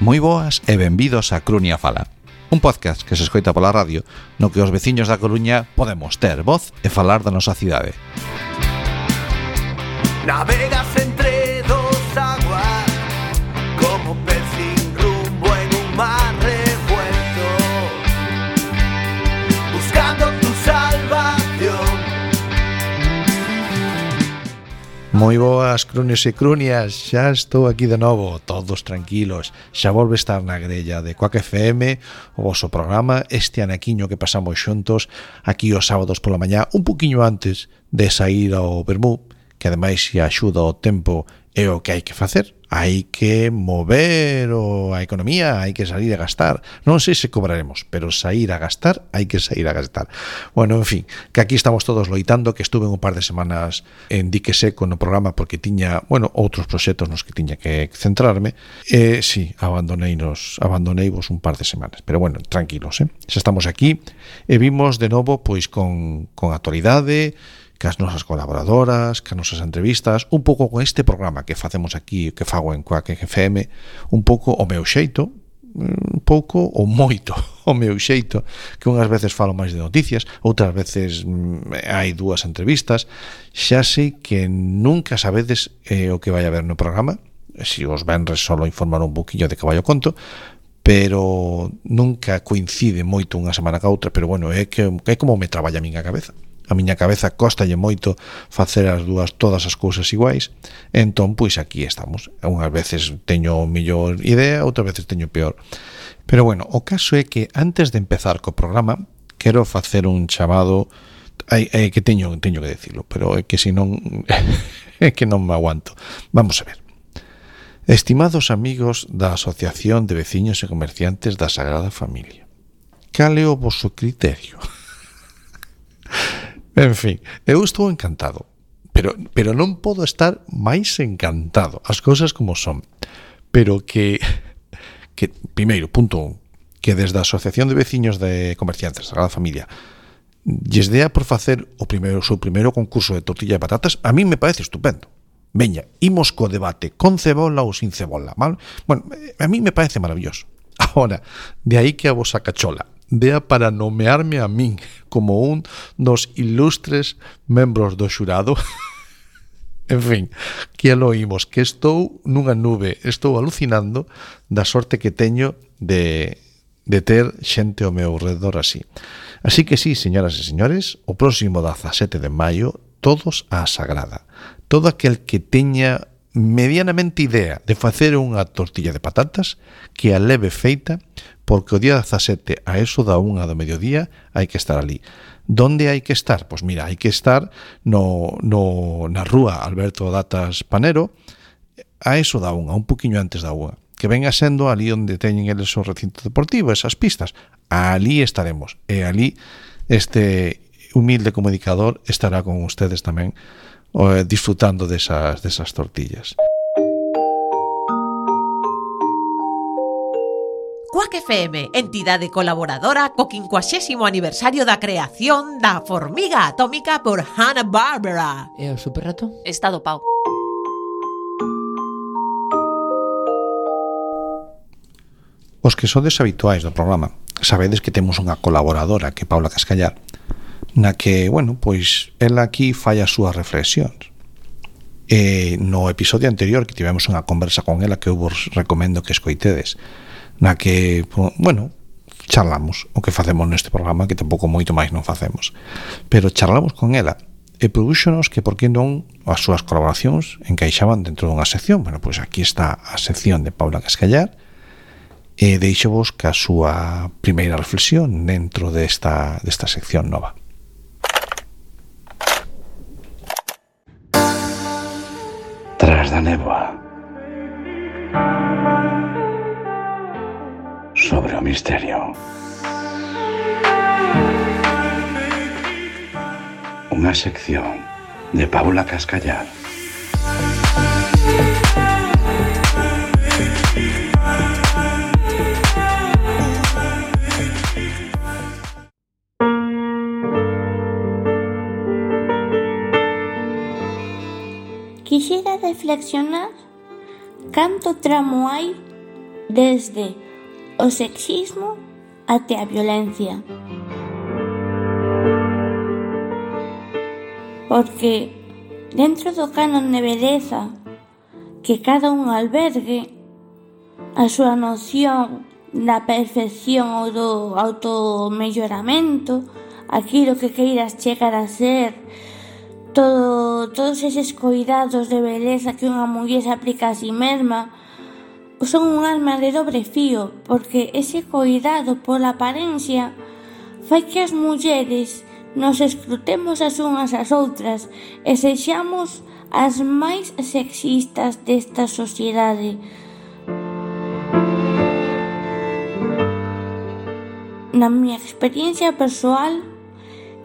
Moi boas e benvidos a Crunia Fala, un podcast que se escoita pola radio no que os veciños da Coruña podemos ter voz e falar da nosa cidade. Navegas entre dos aguas como pez sin rumbo en un mar revuelto, buscando tu salvación. Moi boas, crunios e crunias, xa estou aquí de novo, todos tranquilos. Xa volve estar na grella de Quack FM, o voso programa, este anaquiño que pasamos xuntos aquí os sábados pola mañá, un poquinho antes de sair ao Bermú, que ademais se axuda o tempo é o que hai que facer. Hai que mover a economía, hai que sair a gastar. Non sei se cobraremos, pero sair a gastar, hai que sair a gastar. Bueno, en fin, que aquí estamos todos loitando, que estuve un par de semanas en dique seco no programa porque tiña, bueno, outros proxectos nos que tiña que centrarme. Sí, abandoneivos un par de semanas, pero bueno, tranquilos, xa estamos aquí e vimos de novo pois con actualidade, cas nosas colaboradoras, cas nosas entrevistas, un pouco con este programa que facemos aquí, que fago en Quack FM, un pouco o meu xeito, un pouco ou moito o meu xeito, que unhas veces falo máis de noticias, outras veces hai dúas entrevistas. Xa sei que nunca sabedes o que vai haber no programa, se os venres solo informar un poquinho de que vai o conto, pero nunca coincide moito unha semana ca outra, pero bueno, é como me traballa a miña cabeza. A miña cabeza costalle moito facer as dúas todas as cousas iguais. Entón, pois aquí estamos. Unhas veces teño mellor idea, outras veces teño peor. Pero bueno, o caso é que antes de empezar co programa, quero facer un chamado, que teño que decirlo, pero é que senón é que non me aguanto. Vamos a ver. Estimados amigos da Asociación de Veciños e Comerciantes da Sagrada Familia, cal é o voso criterio? En fin, eu estou encantado, pero non podo estar máis encantado, as cousas como son. Pero que primeiro, punto 1, que desde a Asociación de Veciños de Comerciantes da Sagrada Familia lles dea por facer o seu primeiro concurso de tortilla de patatas, a mí me parece estupendo. Veña, imos co debate, con cebola ou sin cebola, mal? Bueno, a mí me parece maravilloso. Ahora, de aí que a vosa cachola dea para nomearme a min como un dos ilustres membros do xurado. En fin, que lo oímos, que estou nunha nube, estou alucinando da sorte que teño de ter xente ao meu redor así. Así que sí, señoras e señores, o próximo 17 de maio, todos á Sagrada. Todo aquel que teña medianamente idea de facer unha tortilla de patatas, que a leve feita, porque o día 17 a eso da 1 do mediodía hai que estar ali. Donde hai que estar? Pois mira, hai que estar na rúa Alberto Datas Panero a eso da 1, un poquinho antes da 1, que venga sendo ali onde teñen eles o recinto deportivo, esas pistas. Ali estaremos, e ali este humilde comunicador estará con ustedes tamén disfrutando desas tortillas. Quack FM, entidade colaboradora co 50º aniversario da creación da formiga atómica por Hanna-Barbera. E o superrato? Está dopao. Os que sodes habituais do programa sabedes que temos unha colaboradora, que é Paula Cascallar, na que, bueno, pois ela aquí fai as súas reflexións. No episodio anterior que tivemos unha conversa con ela que eu vos recomendo que escoitedes, na que, bueno, charlamos o que facemos neste programa, que tampouco moito máis non facemos, pero charlamos con ela e prodúxonos que por que non as súas colaboracións encaixaban dentro dunha sección. Bueno, pois aquí está a sección de Paula Cascallar e deixovos que a súa primeira reflexión dentro desta sección nova. Tras da néboa, sobre o misterio, unha sección de Paula Cascallar. Quixera reflexionar canto tramo hai desde o sexismo até a violencia. Porque dentro do canon de beleza que cada un albergue, a súa noción da perfección ou do automelloramento, aquilo que queiras chegar a ser, todos eses cuidados de beleza que unha muller se aplica a si mesma, son un arma de dobre fío, porque ese cuidado pola apariencia fai que as mulleres nos escrutemos as unhas ás outras e sexamos as máis sexistas desta sociedade. Na miña experiencia persoal,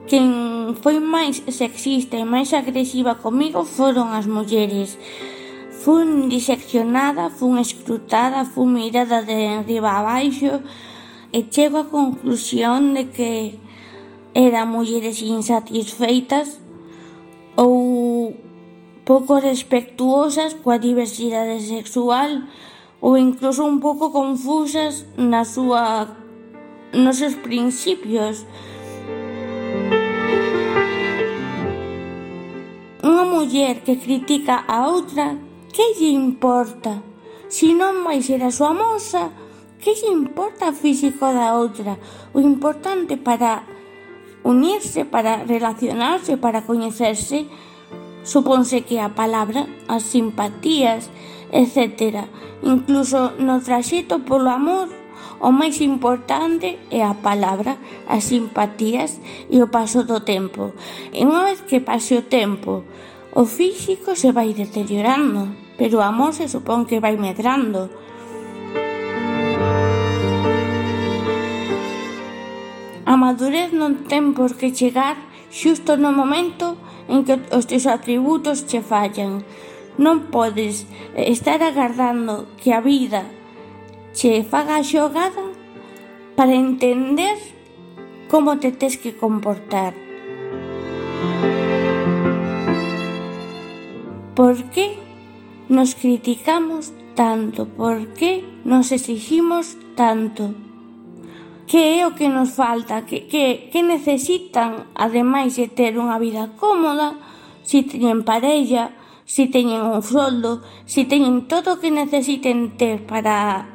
quen foi máis sexista e máis agresiva comigo foron as mulleres. Fun diseccionada, fun escrutada, fun mirada de enriba a baixo e chego á conclusión de que eran mulleres insatisfeitas ou pouco respectuosas coa diversidade sexual ou incluso un pouco confusas nos seus principios. Unha muller que critica a outra, que lle importa? Se non vai ser a súa moza, que lle importa o físico da outra? O importante para unirse, para relacionarse, para coñecerse, supónse que a palabra, as simpatías, etc. Incluso no traxecto polo amor, o máis importante é a palabra, as simpatías e o paso do tempo. E unha vez que pase o tempo, o físico se vai deteriorando, pero o amor se supón que vai medrando. A madurez non ten por que chegar xusto no momento en que os teus atributos che fallan. Non podes estar agardando que a vida che faga a xogada para entender como te tes que comportar. Por que nos criticamos tanto? Por que nos exiximos tanto? Que é o que nos falta? Que necesitan, ademais de ter unha vida cómoda, si teñen parella, si teñen un soldo, si teñen todo o que necesiten ter para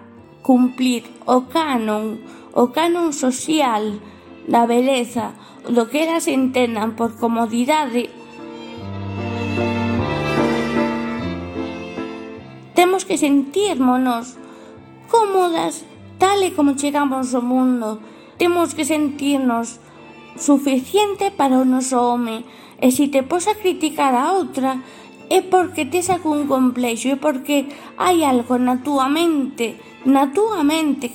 cumplir o canon social da beleza, do que elas entendan por comodidade. Temos que sentirmonos cómodas tal e como chegamos ao mundo. Temos que sentirnos suficiente para o noso home. E se te pos a criticar a outra, é porque tes algún complexo, é porque hai algo na túa mente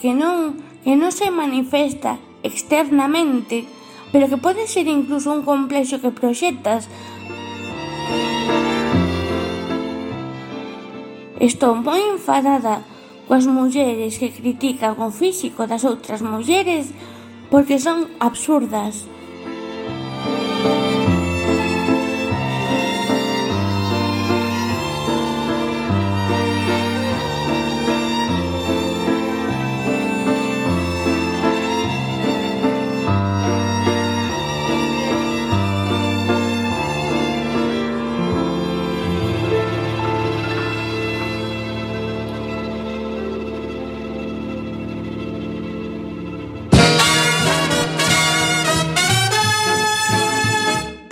que non se manifesta externamente, pero que pode ser incluso un complexo que proxectas. Estou moi enfadada coas mulleres que critican o físico das outras mulleres porque son absurdas.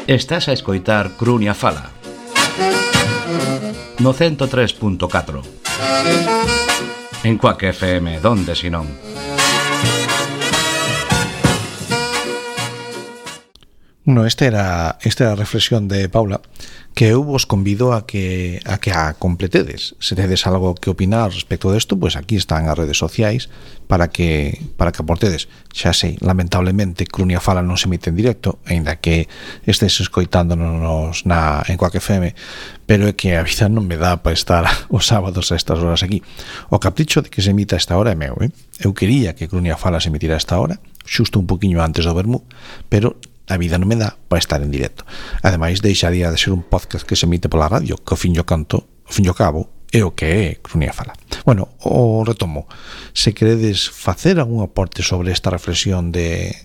Estás a escoitar Crunia Fala no 103.4 en Quack FM, donde si non. Bueno, esta era a reflexión de Paula, que eu vos convido a que a completedes. Se tedes algo que opinar respecto desto, pues aquí están as redes sociais para que aportedes. Xa sei, lamentablemente Crunia Fala non se emite en directo, aínda que estés escoitándonos en Quack FM, pero é que a vida non me dá para estar os sábados a estas horas aquí. O capricho de que se emita a esta hora é meu, Eu quería que Crunia Fala se emitira a esta hora, xusto un poquinho antes do vermú, pero a vida non me dá para estar en directo. Ademais, deixaría de ser un podcast que se emite pola radio, que ao fin e ao cabo é o que é Crunia Fala. Bueno, o retomo. Se queredes facer algún aporte sobre esta reflexión de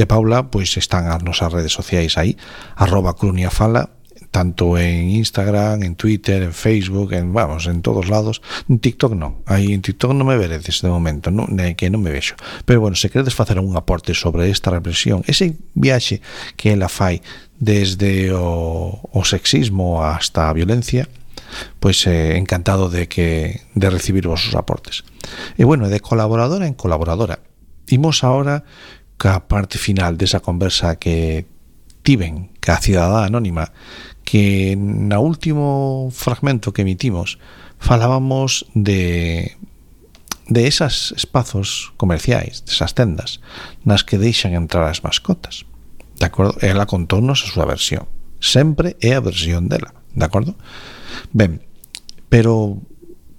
Paula, pois están as nosas redes sociais aí, @cruniafala, tanto en Instagram, en Twitter, en Facebook, en todos lados. En TikTok non. Aí en TikTok non me veredes de momento, non, que non me vexo. Pero bueno, se queredes facer un aporte sobre esta reflexión, ese viaxe que ela fai desde o sexismo hasta a violencia, pois encantado de recibir vosos aportes. E bueno, de colaboradora en colaboradora. Imos agora ca parte final desa conversa que tiven ca cidadá anónima, que na último fragmento que emitimos falábamos de esas espazos comerciais, desas tendas nas que deixan entrar as mascotas, de acordo? Ela contónos a súa versión, sempre é a versión dela, de acordo? Ben, pero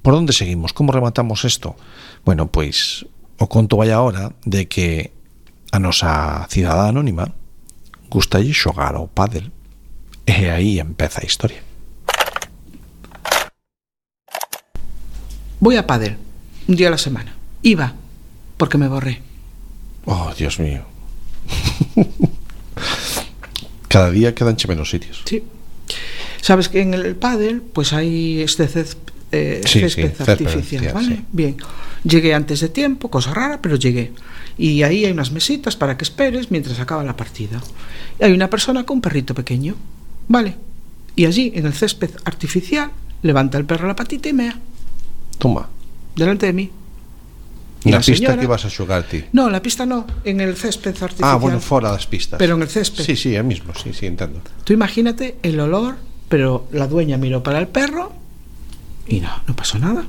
por onde seguimos? Como rematamos isto? Bueno, pois o conto vai agora de que a nosa cidadá anónima gustalle xogar ao pádel. E aí empeza a historia. Voy a pádel un día a la semana. Iba, porque me borré. Oh, Dios mío. Cada día quedanche menos sitios. Sí. Sabes que en el pádel pues hay este césped artificial, ¿vale? Sí. Bien. Llegué antes de tiempo, cosa rara, pero llegué. Y ahí hay unas mesitas para que esperes mientras acaba la partida. Y hay una persona con un perrito pequeño, ¿vale? Y allí, en el césped artificial, levanta el perro la patita y mea. Toma. Delante de mí. Na pista que vas a xogar ti? No, la pista no, en el césped artificial. Ah, bueno, fora das pistas. Pero en el césped. Sí, sí, é mismo, sí, entiendo. Tú imagínate el olor, pero la dueña miró para el perro y no pasó nada.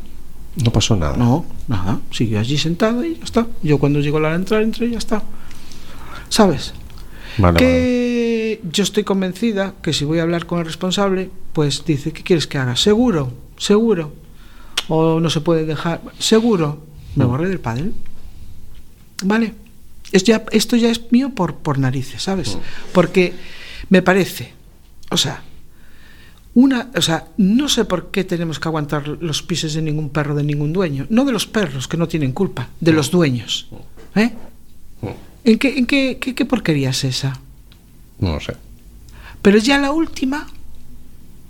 No pasó nada. No, nada. Siguió allí sentado y ya está. Yo cuando llegó la hora de entrar, entré y ya está. ¿Sabes? Vale, que vale. Yo estoy convencida que si voy a hablar con el responsable, pues dice, ¿qué quieres que haga? Seguro. O no se puede dejar. Seguro. Me borré del pádel. ¿Vale? Esto ya es mío por narices, ¿sabes? Porque me parece, o sea, no sé por qué tenemos que aguantar los pises de ningún perro de ningún dueño. No de los perros, que no tienen culpa, de los dueños. ¿Eh? ¿En qué porquería es esa? No lo sé. Pero ya la última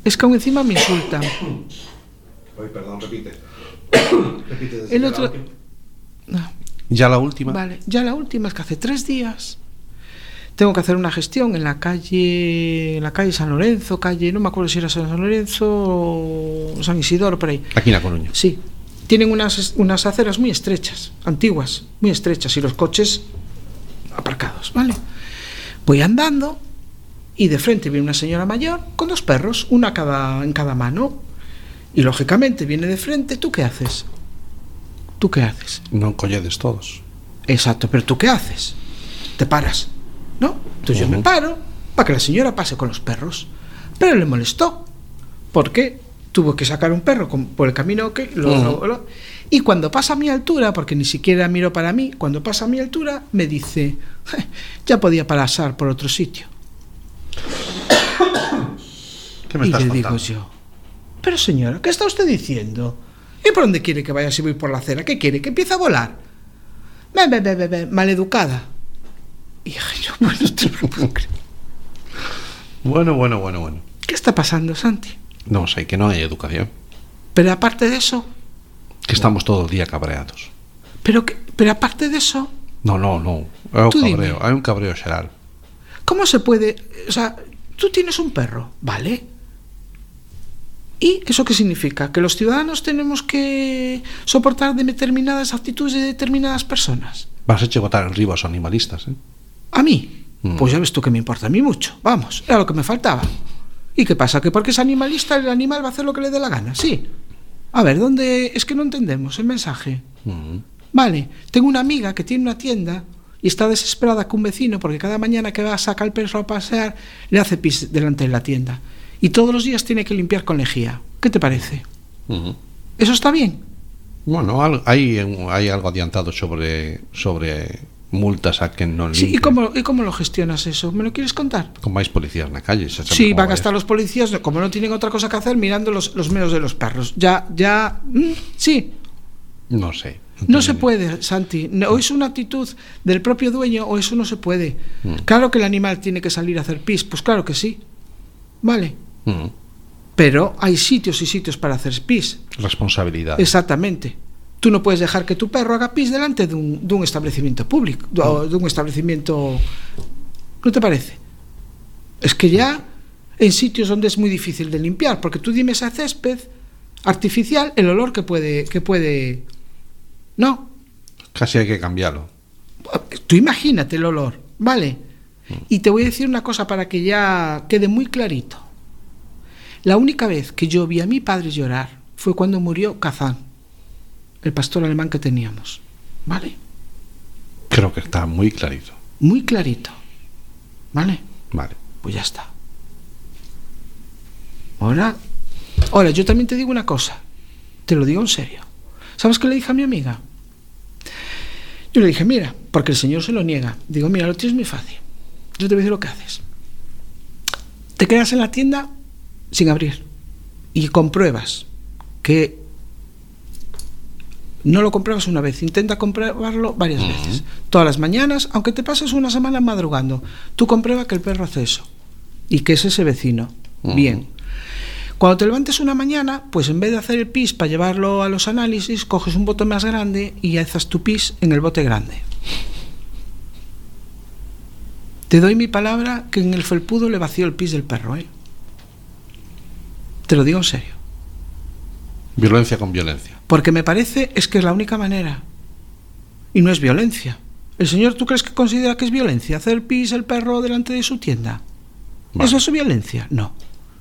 es que aún encima me insultan. Ay, perdón, repite. El otro... No. ¿Ya la última? Vale, ya la última es que hace 3 días tengo que hacer una gestión en la calle San Lorenzo, no me acuerdo si era San Lorenzo o San Isidoro, por ahí. Aquí en La Coruña. Sí. Tienen unas aceras muy estrechas, antiguas, muy estrechas, y los coches aparcados, ¿vale? Voy andando y de frente viene una señora mayor con 2 perros, una en cada mano. Y lógicamente viene de frente. ¿Tú qué haces? Non colledes todos. Exacto, pero ¿tú qué haces? Te paras, ¿no? Entonces yo me paro para que la señora pase con los perros. Pero le molestó, porque tuvo que sacar un perro por el camino que y cuando pasa a mi altura, porque ni siquiera miró para mí, cuando pasa a mi altura me dice, ya podía pasar por otro sitio. ¿Qué me estás y le contando? digo yo, pero señora, ¿qué está usted diciendo? ¿Y por dónde quiere que vaya si voy por la acera? ¿Qué quiere? ¿Que empiece a volar? Maleducada. Y yo, bueno, te lo puedo creer. Bueno. ¿Qué está pasando, Santi? Non sei, que non hai educación. Pero aparte de eso... Que estamos todo o día cabreados. Pero aparte de eso... No. É un cabreo xeral. ¿Cómo se puede...? O sea, tú tienes un perro, ¿vale? ¿Y eso qué significa? ¿Que los ciudadanos tenemos que soportar determinadas actitudes de determinadas personas? Vas a botar en riba aos animalistas, ¿eh? ¿A mí? Pues ya ves tú que me importa a mí mucho. Vamos, era lo que me faltaba. ¿Y qué pasa? ¿Que porque es animalista el animal va a hacer lo que le dé la gana? Sí. A ver, ¿dónde? Es que no entendemos el mensaje. Vale, tengo una amiga que tiene una tienda y está desesperada con un vecino porque cada mañana que va a sacar el perro a pasear le hace pis delante de la tienda. Y todos los días tiene que limpiar con lejía. ¿Qué te parece? ¿Eso está bien? Bueno, hay algo adiantado sobre multas a quen non limpia. Sí, ¿y cómo lo gestionas eso? ¿Me lo quieres contar? Con máis policías na calle. Sí, van a estar los policías, como no tienen otra cosa que hacer, mirando los meos de los perros. Sí, No sé. No se puede, Santi. O es una actitud del propio dueño o eso no se puede. Claro que el animal tiene que salir a hacer pis, pues claro que sí. Vale. Pero hay sitios y sitios para hacer pis. Responsabilidad. Exactamente. Tú no puedes dejar que tu perro haga pis delante de un establecimiento público, de un establecimiento... ¿No te parece? Es que ya en sitios donde es muy difícil de limpiar, porque tú dime ese césped artificial, el olor que puede... No. Casi hay que cambiarlo. Tú imagínate el olor, ¿vale? Y te voy a decir una cosa para que ya quede muy clarito. La única vez que yo vi a mi padre llorar fue cuando murió Kazán, el pastor alemán que teníamos, ¿vale? Creo que está muy clarito. Muy clarito, ¿vale? Vale. Pues ya está. Ahora, yo también te digo una cosa, te lo digo en serio. ¿Sabes qué le dije a mi amiga? Yo le dije, mira, porque el señor se lo niega. Digo, mira, lo tienes muy fácil. Yo te voy a decir lo que haces. Te quedas en la tienda sin abrir y compruebas que no lo compruebas una vez, intenta comprobarlo varias veces, todas las mañanas, aunque te pases una semana madrugando, tú comprueba que el perro hace eso y que es ese vecino. Bien. Cuando te levantes una mañana, pues en vez de hacer el pis para llevarlo a los análisis, coges un bote más grande y haces tu pis en el bote grande. Te doy mi palabra que en el felpudo le vació el pis del perro, ¿eh? Te lo digo en serio. Violencia con violencia. Porque me parece es que es la única manera. Y no es violencia. ¿El señor tú crees que considera que es violencia hacer pis el perro delante de su tienda? Vale. ¿Eso es violencia? No.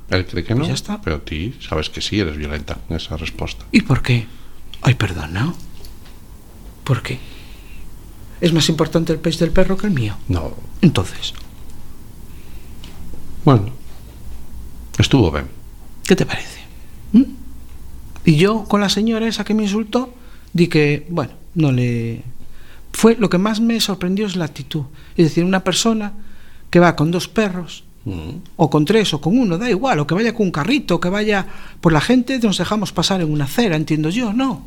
Él cree que no, pues ya está. Pero tú sabes que sí eres violenta en esa respuesta. ¿Y por qué? Ay, perdona. ¿Por qué? ¿Es más importante el pis del perro que el mío? No. Entonces. Bueno. Estuvo bien. ¿Qué te parece? Y yo, con la señora esa que me insultó, di que, bueno, no le... Fue lo que más me sorprendió es la actitud. Es decir, una persona que va con 2 perros, o con 3, o con 1, da igual, o que vaya con un carrito, o que vaya... Por la gente nos dejamos pasar en una acera, entiendo yo, ¿no?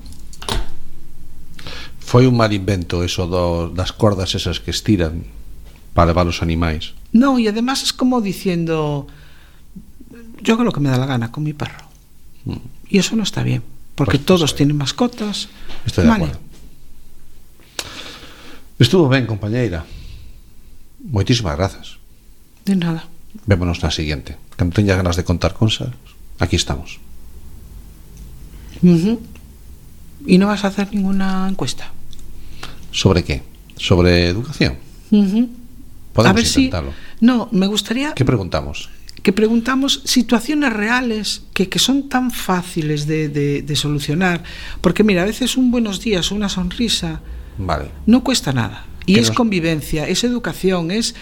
Foi un mal invento eso das cordas esas que estiran para levar os animais. No, y además es como diciendo... Yo hago lo que me da la gana con mi perro. Y eso no está bien, porque pues todos tienen mascotas. Estoy de acuerdo. Estuvo ben, compañeira. Moitísimas grazas. De nada. Vémonos na siguiente. Cando teña ganas de contar cosas, aquí estamos. ¿Y no vas a hacer ninguna encuesta? ¿Sobre qué? ¿Sobre educación? Podemos a ver intentarlo. No, me gustaría... ¿Qué preguntamos? Que preguntamos situaciones reales que son tan fáciles de solucionar, porque mira, a veces un buenos días o una sonrisa no cuesta nada, y es convivencia, es educación, es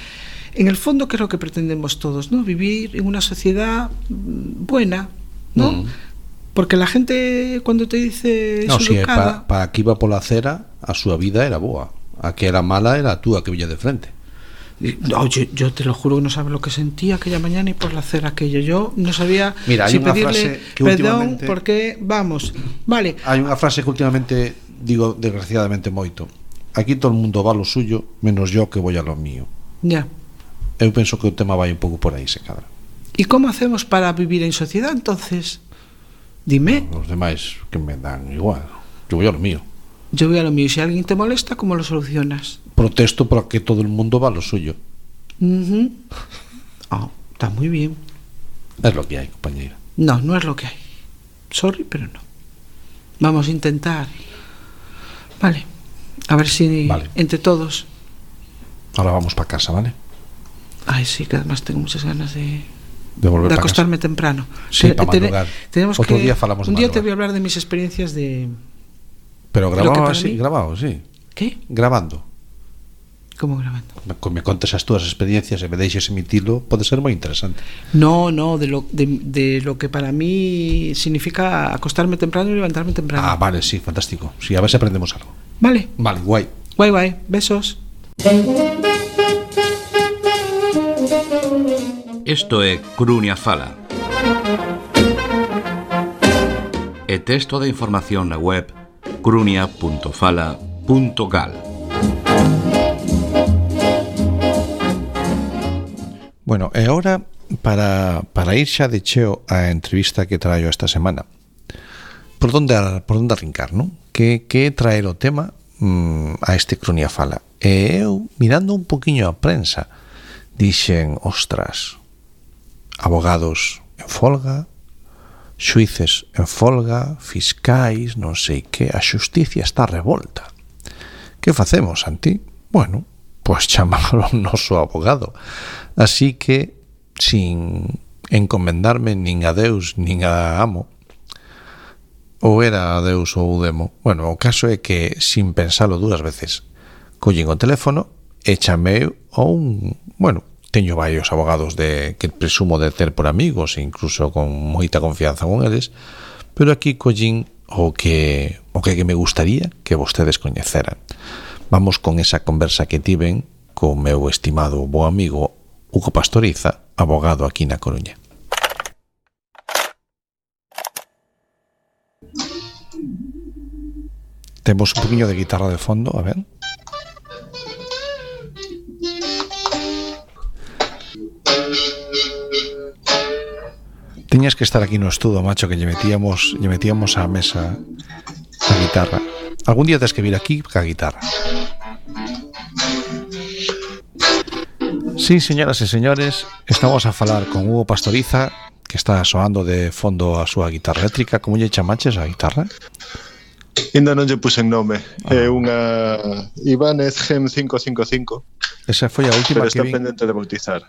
en el fondo que es lo que pretendemos todos, ¿no? Vivir en una sociedad buena, ¿no? Porque la gente cuando te dice no, si educada, para que iba pola acera a súa vida era boa, a que era mala era a túa que villa de frente. No, yo te lo juro que no sabes lo que sentía aquella mañana y por la acera aquello. Yo no sabía si pedirle perdón porque, vamos, vale. Hai unha frase que últimamente digo desgraciadamente moito. Aquí todo o mundo va lo suyo, menos yo que voy a lo mío. Ya. Eu penso que o tema vai un pouco por aí, se cadra. ¿Y cómo hacemos para vivir en sociedad entonces? Dime. No, los demais que me dan igual. Yo voy a lo mío. Yo voy a lo mío. Y si alguien te molesta, ¿cómo lo solucionas? Protesto para que todo el mundo va a lo suyo. Está muy bien. Es lo que hay, compañera. No, no es lo que hay. Sorry, pero no. Vamos a intentar. Vale. A ver si entre todos. Ahora vamos para casa, ¿vale? Ay, sí, que además tengo muchas ganas de volver de acostarme temprano. Sí, para madrugar. Tenemos Otro día falamos un día te voy a hablar de mis experiencias de... Pero grabado así, grabado, sí. ¿Qué? Grabando. ¿Cómo grabando? Me contes as túas experiencias e me deixes emitilo, pode ser moi interesante. No, de lo que para mí significa acostarme temprano y levantarme temprano. Ah, vale, sí, fantástico. Sí, a ver si aprendemos algo. Vale. Vale, guai. Guai, besos. Isto é Crunia Fala. E texto de información na web crunia.fala.gal. Bueno, e agora para ir xa de cheo a entrevista que traio esta semana. Por onde arrincar, non? Que traer o tema a este Crunia Fala. E eu, mirando un poquinho a prensa, dixen, ostras, abogados en folga, xuíces en folga, fiscais, non sei que, a xusticia está revolta. Que facemos, Santi? Bueno, pois chamámoslo o noso abogado. Así que, sin encomendarme nin a Deus nin a amo, ou era a Deus ou o demo, bueno, o caso é que, sin pensalo dúas veces, collín o teléfono e chamei a un... Bueno, teño varios abogados que presumo de ter por amigos, incluso con moita confianza con eles, pero aquí collín o que me gustaría que vostedes coñeceran. Vamos con esa conversa que tiven co meu estimado bo amigo Hugo Pastoriza, abogado aquí na Coruña. Temos un poquinho de guitarra de fondo, a ver. Tiñas que estar aquí no estudo, macho, que lle metíamos á mesa a guitarra. Algún día tes que vir aquí ca guitarra. Sí, señoras e señores, estamos a falar con Hugo Pastoriza, que está soando de fondo a súa guitarra eléctrica. Como lle chamaches a guitarra? Ainda non lle puxen nome. É unha Ibanez GEM 555. Esa foi a última pero que está vi. pendente de bautizar.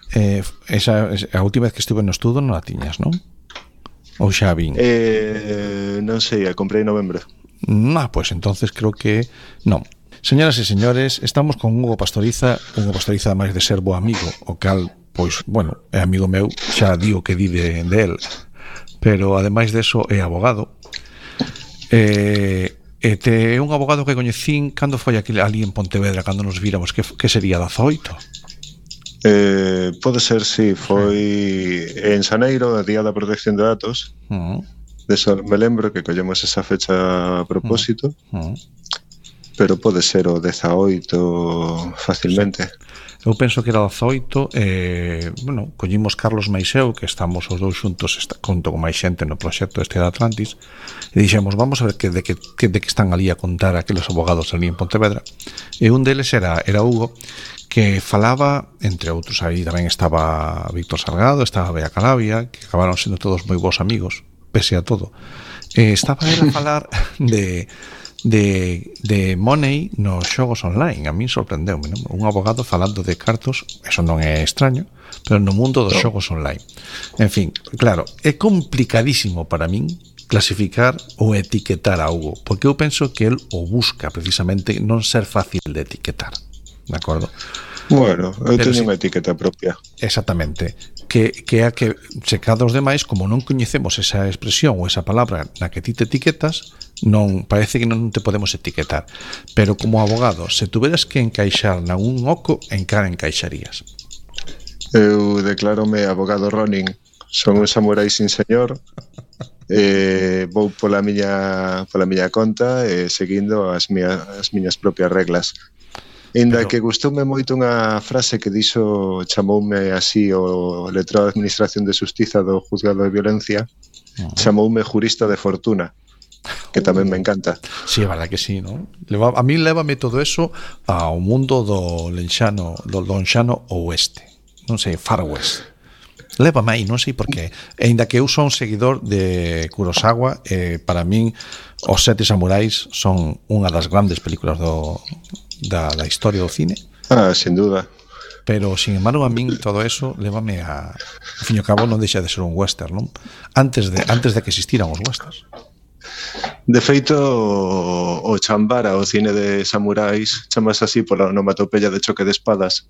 Esa a última vez que estuve no estudo non la tiñas, non? Ou xa vin? Non sei, a comprei en novembro. Pues entonces creo que non. Señoras e señores, estamos con Hugo Pastoriza. Hugo Pastoriza, ademais de ser bo amigo, o cal, pois, bueno, é amigo meu, xa digo que di de él, pero ademais de eso é abogado. É un abogado que coñecín cando foi ali en Pontevedra, cando nos víramos, que sería 18? Pode ser, sí, foi en Xaneiro, a Día da Protección de Datos. De eso me lembro que collemos esa fecha a propósito. Pero pode ser o 18 facilmente. Eu penso que era 18. Bueno, collimos Carlos Maiseu, que estamos os dous xuntos junto con máis xente no proxecto este de Atlantis, e dixemos, vamos a ver de que están ali a contar aqueles abogados ali en Pontevedra. E un deles era Hugo, que falaba, entre outros, aí tamén estaba Víctor Salgado, estaba Bea Calabia, que acabaron sendo todos moi bons amigos, pese a todo. Estaba ele a falar de money nos xogos online. A min sorprendeume, non? Un abogado falando de cartos, eso non é extraño, pero no mundo dos xogos online. En fin, claro, é complicadísimo para min clasificar ou etiquetar a Hugo, porque eu penso que el o busca precisamente non ser fácil de etiquetar, de acordo? Bueno, eu teño unha etiqueta propia. Exactamente, que é a que se cada os demais, como non coñecemos esa expresión ou esa palabra na que ti te etiquetas, non parece que non te podemos etiquetar. Pero como abogado, se tuveras que encaixar nalgún oco, en cara encaixarías? Eu declárome abogado Ronin. Son un samurái sin señor. Vou pola miña conta e seguindo as miñas propias reglas. Ainda que gustoume moito unha frase que dixo, chamoume así o letrado de Administración de Xustiza do Juzgado de Violencia, chamoume jurista de fortuna, que tamén me encanta. Sí, é verdad que sí, non? A mí lévame todo eso ao mundo do lonxano oeste, non sei, Far West. Lévame aí, non sei por qué. Ainda que eu son seguidor de Kurosawa, para min Os Sete Samurais son unha das grandes películas da historia do cine. Sin duda. Pero, sin embargo, a min todo eso lévame a... Ao fin e ao cabo non deixa de ser un western, non? Antes de que existiran os westerns. De feito, o Chambara, o cine de samurais, chamase así pola onomatopeya de choque de espadas,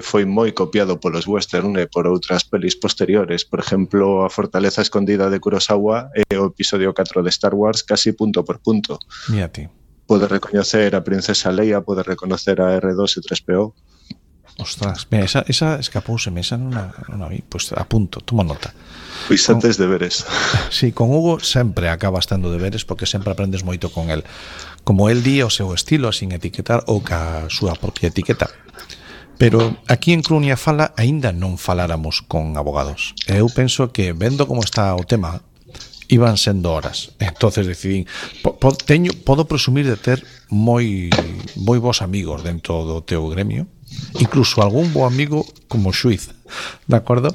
foi moi copiado polos western e por outras pelis posteriores. Por exemplo, A Fortaleza Escondida de Kurosawa e o episodio 4 de Star Wars casi punto por punto. Mírate. Pode recoñecer a Princesa Leia, pode reconocer a R2 e 3PO. Ostras, mira, esa escapouseme, esa non a vi. Pois apunto, tomo nota. Pois antes deberes. Sí, con Hugo sempre acabas tendo deberes porque sempre aprendes moito con el. Como el di o seu estilo, sin etiquetar ou ca súa propia etiqueta. Pero aquí en Crunia Fala aínda non faláramos con abogados. Eu penso que, vendo como está o tema, iban sendo horas. Entonces decidín, podo presumir de ter moi bons amigos dentro do teu gremio, incluso algún bo amigo como xuiz, de acordo?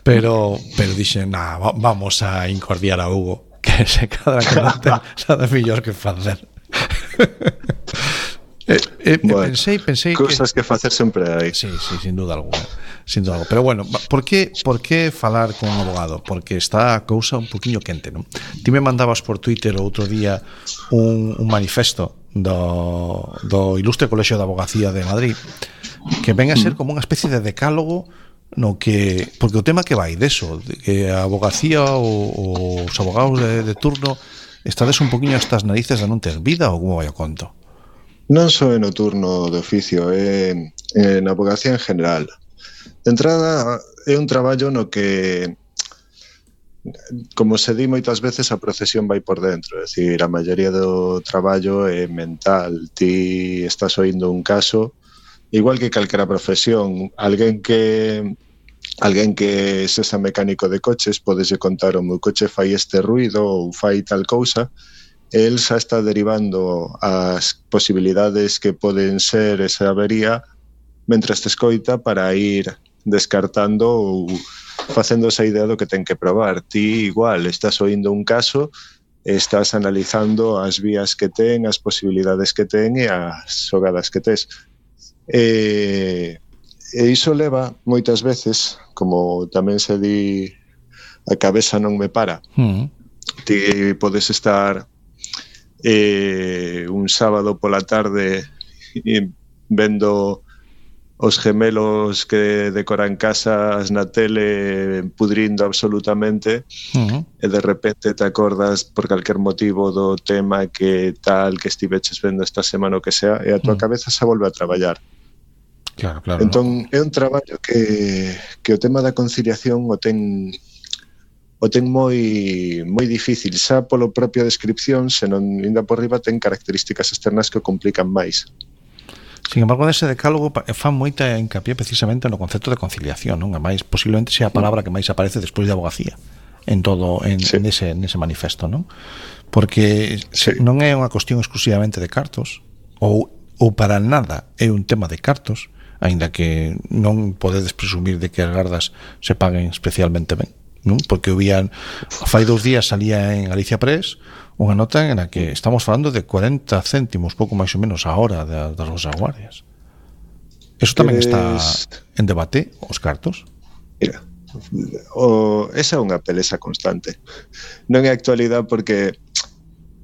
Pero dixen, vamos a incordiar a Hugo, que se cadra que non ten nada mellor que facer. Bueno, pensei cosas que facer sempre hai. Sí, sin duda alguna. Pero bueno, por que falar con un abogado? Porque está a cousa un poquinho quente, non? Ti me mandabas por Twitter o outro día un manifesto do Ilustre Colexio de Abogacía de Madrid, que ven a ser como unha especie de decálogo no que, porque o tema que vai deso, de que a abogacía ou os abogados de turno estades un poquinho hasta as narices de non ter vida, ou como vai o conto? Non só no turno de oficio, en abogacía en general. De entrada, é un traballo no que, como se di moitas veces, a procesión vai por dentro. É dicir, a maioría do traballo é mental. Ti estás oindo un caso, igual que calquera profesión. Alguén que sexa mecánico de coches, podese contar: o meu coche fai este ruido ou fai tal cousa. El xa está derivando as posibilidades que poden ser esa avería mentre te escoita para ir descartando ou facendo esa idea do que ten que probar. Ti igual estás oindo un caso, estás analizando as vías que ten, as posibilidades que ten e as xogadas que tes. E iso leva moitas veces, como tamén se di, a cabeza non me para. Ti podes estar un sábado pola tarde vendo os gemelos que decoran casas na tele pudrindo absolutamente, e de repente te acordas por calquer motivo do tema que tal que estiveches vendo esta semana o que sea, e a tua cabeza se volve a traballar. Claro, Entón, é un traballo que o tema da conciliación o ten moi difícil, xa polo propia descripción, senón ainda por riba ten características externas que o complican máis. Sin embargo, nese decálogo fan moita hincapié precisamente no concepto de conciliación, non? A máis, posiblemente sea a palabra que máis aparece despois de abogacía nese manifesto, non? Porque non é unha cuestión exclusivamente de cartos, ou para nada é un tema de cartos, aínda que non podedes presumir de que as gardas se paguen especialmente ben, non? Porque fai 2 días salía en Galicia Press unha nota en a que estamos falando de 40 céntimos, pouco máis ou menos a hora das nosas guardias. Eso tamén está en debate, os cartos? Mira, esa é unha pelesa constante. Non é actualidade porque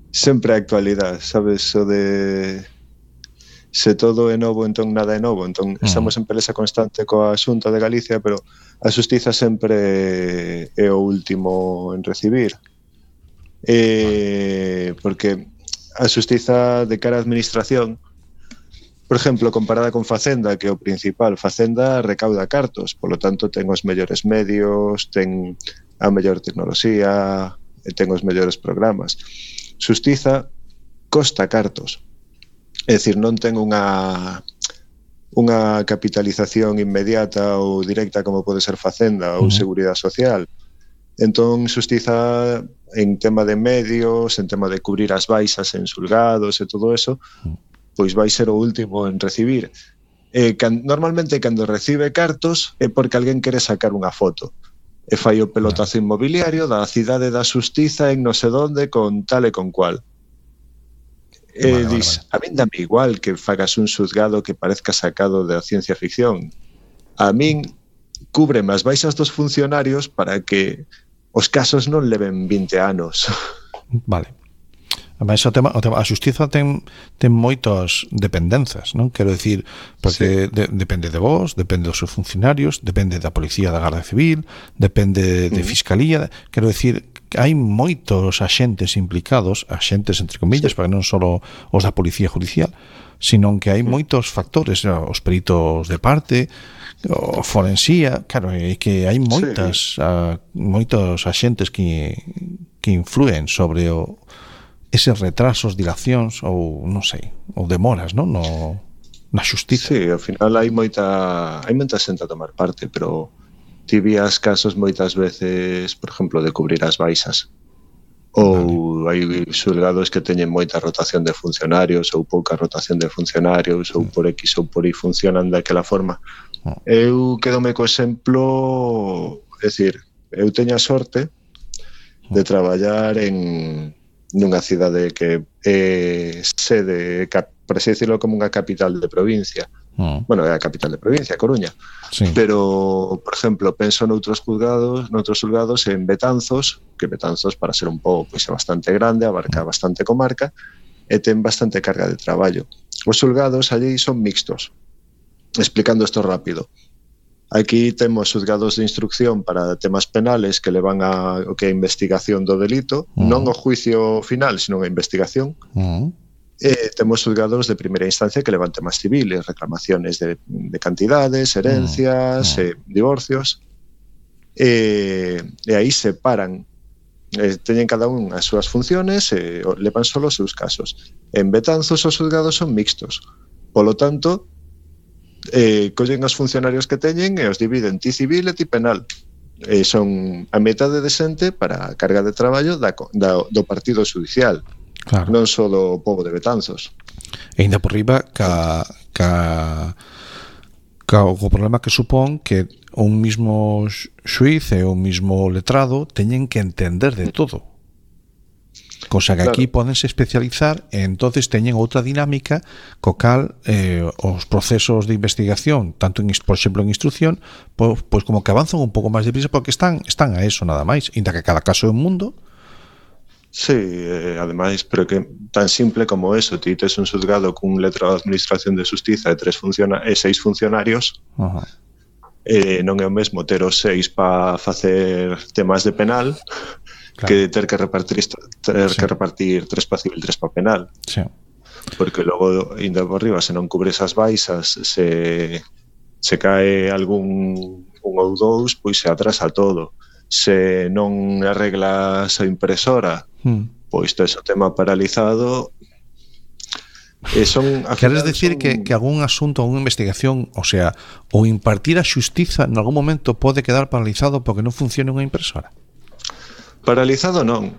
sempre é actualidade, sabes, o de se todo é novo, entón nada é novo. Entón estamos en pelesa constante coa Xunta de Galicia, pero a xustiza sempre é o último en recibir. Porque a xustiza de cara á administración, por exemplo, comparada con Facenda, que é o principal, Facenda recauda cartos, polo tanto ten os mellores medios, ten a mellor tecnoloxía, ten os mellores programas. Xustiza costa cartos. É dicir, non ten unha capitalización inmediata ou directa como pode ser Facenda ou Seguridade Social. Entón, xustiza en tema de medios, en tema de cubrir as baixas en xulgados e todo eso, pois vai ser o último en recibir. Normalmente, cando recibe cartos, é porque alguén quere sacar unha foto. E fai o pelotazo inmobiliario da cidade da xustiza en non sei onde, con tal e con cual. Dis, a min dame igual que fagas un xuzgado que parezca sacado da ciencia ficción. A min cúbreme as baixas dos funcionarios para que os casos non leven 20 anos. Vale. Ademais, a xustiza ten moitas dependenzas, non? Quero dicir, porque depende de vos, depende dos seus funcionarios, depende da Policía da Garda Civil, depende de Fiscalía. Quero dicir, hai moitos axentes implicados, axentes entre comillas, porque non só os da Policía Judicial, sino que hai moitos factores, os peritos de parte, o forensía, claro, é que hai moitos axentes que influen sobre eses retrasos, dilacións ou non sei, ou demoras, non, na xustiza. Sí, ao final hai moita xente a tomar parte, pero ti vías casos moitas veces, por exemplo, de cubrir as baixas. Ou hai xulgados que teñen moita rotación de funcionarios ou pouca rotación de funcionarios ou por X ou por Y funcionan daquela forma. Eu quedome co exemplo, é dicir, eu teño a sorte de traballar nunha cidade que é sede, por así decirlo, como unha capital de provincia. Bueno, é a capital de provincia, Coruña. Sí. Pero, por exemplo, penso noutros xulgados en Betanzos, que Betanzos, para ser un pouco, pois é bastante grande, abarca bastante comarca e ten bastante carga de traballo. Os xulgados allí son mixtos. Explicando isto rápido. Aquí temos xulgados de instrucción para temas penales que levan o que é a investigación do delito, non o juicio final, sino a investigación. Temos xulgados de primeira instancia que levan temas civiles, reclamaciones de cantidades, herencias, divorcios, e aí separan, teñen cada un as súas funciones e levan solo os seus casos. En Betanzos os xulgados son mixtos, polo tanto collen os funcionarios que teñen e os dividen ti civil e ti penal. Son a metade de xente para a carga de traballo do partido judicial. Claro. Non só do pobo de Betanzos. E ainda por riba o problema que supón que un mismo xuiz e un mismo letrado teñen que entender de todo, cosa que aquí podense especializar e entonces teñen outra dinámica co cal os procesos de investigación, tanto por exemplo en instrucción, pois como que avanzan un pouco máis deprisa porque están a eso nada máis, inda que cada caso é un mundo. Sí, ademais, pero que tan simple como eso, ti tes un xulgado cun letrado de administración de xustiza e 6 funcionarios, non é o mesmo ter os 6 para facer temas de penal, claro, que ter que repartir 3 para civil, 3 para penal. Sí. Porque logo, ainda por riba, se non cubres as baixas, se cae algún un ou dous, pois se atrasa todo. Se non arreglas a impresora, pois tes o tema paralizado. Queres decir que algún asunto ou unha investigación, o sea, o impartir a xustiza en algún momento pode quedar paralizado porque non funciona unha impresora? Paralizado non,